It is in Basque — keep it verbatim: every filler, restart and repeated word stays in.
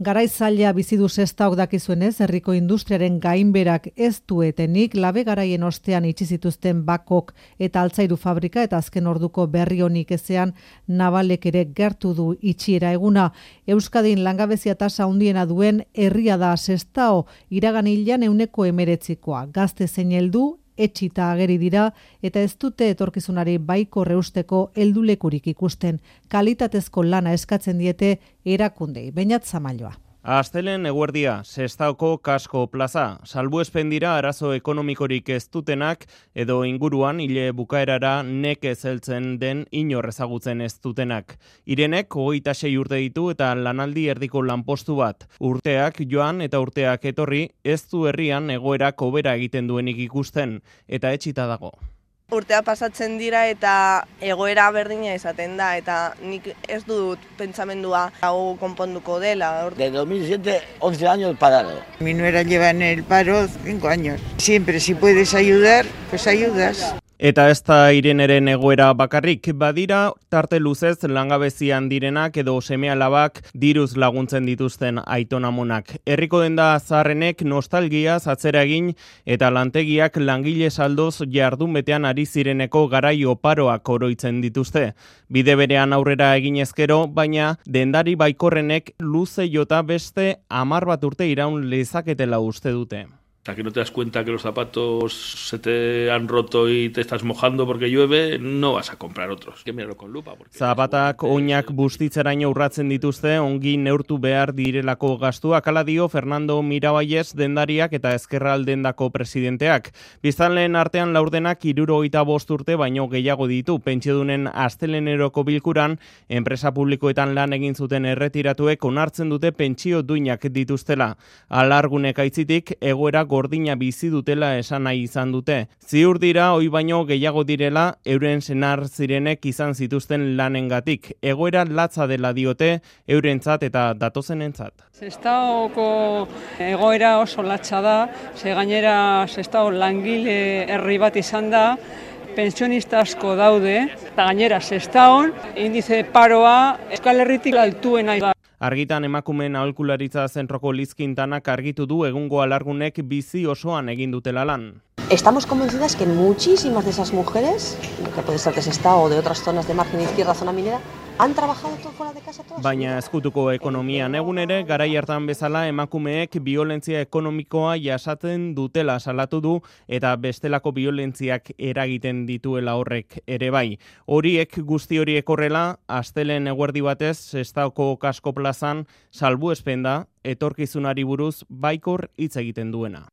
Garai zaila bizi du Sestaok dakizuenez, herriko industriaren gainberak ez duetenik labe garaien ostean itxi zituzten bakok eta altzairu fabrika eta azken orduko berri honik ezean Navalek ere gertu du itxiera eguna. Euskadin langabezia tasa handiena duen herria da Sestao, iragan hilean ehuneko hemeretzikoa. Gazte zein heldu etxita ageri dira eta ez dute etorkizunari baiko reusteko heldulekurik ikusten. Kalitatezko lana eskatzen diete erakundei. Beñat Zamailoa. Astelen eguerdia, Sestaoko Kasko Plaza. Salbuespen dira arazo ekonomikorik ez dutenak edo inguruan hile bukaerara nekez heltzen den inor ezagutzen ez dutenak. Irenek hogeita sei urte ditu eta lanaldi erdiko lanpostu bat. Urteak joan eta urteak etorri ez du herrian egoerak hobera egiten duenik ikusten eta etxita dago. Urtea pasatzen dira eta egoera berdina izaten da eta nik ez dut pentsamendua hau konponduko dela. De dos mil siete, once años parado. Mi nuera lleva en el paro cinco años. Siempre si puedes ayudar, pues ayudas. Eta ez da Ireneren egoera bakarrik, badira tarte luzez langabezian direnak edo seme-alabak diruz laguntzen dituzten aitonamonak. Herriko denda zaharrenek nostalgiaz atzera egin eta lantegiak langile saldoz jardun betean ari zireneko garai oparoak oroitzen dituzte. Bide berean aurrera egin ezkero, baina dendari baikorrenek luze jota beste hamar bat urte iraun lezaketela uste dute. Hasta que no te das cuenta que los zapatos se te han roto y te estás mojando porque llueve, no vas a comprar otros. Que mirarlo con lupa. Zapatak oinak bustitzeraino urratzen dituzte, ongi neurtu behar direlako gastuak, hala dio Fernando Miraballes dendariak eta Ezkerraldendako presidenteak. Biztanleen artean laurdenak hirurogeita bost urte baino gehiago ditu. Pentsiodunen asteleneroko bilkuran, enpresa publikoetan lan egin zuten erretiratuek onartzen dute pentsio duinak dituztela. Alargunek aitzitik, egoera gordina bizi dutela esan nahi izan dute. Ziur dira, hoi baino gehiago direla, euren senar zirenek izan zituzten lanengatik. Egoera latza dela diote, eurentzat eta datozenentzat. Sestaoko egoera oso latza da, ze gainera Sestao langile herri bat izan da, pensionista asko daude, eta gainera Sestaon indize paroa Euskal Herritik altuena da. Argitan emakumeen aholkularitza zentroko Lizkintanak argitu du egungo alargunek bizi osoan egin dutela lan. Estamos convencidas que muchísimas de esas mujeres, que puede ser de Sestao o de otras zonas de margen izquierda, zona minera, han trabajado todo fuera de casa todas. Baina ezkutuko ekonomian egun ere, garai hartan bezala emakumeek biolentzia ekonomikoa jasaten dutela salatu du eta bestelako biolentziak eragiten dituela horrek ere bai. Horiek guzti horiek horrela, astelen eguerdi batez, Sestaoko Kasko Plazan salbuespen da etorkizunari buruz baikor hitz egiten duena.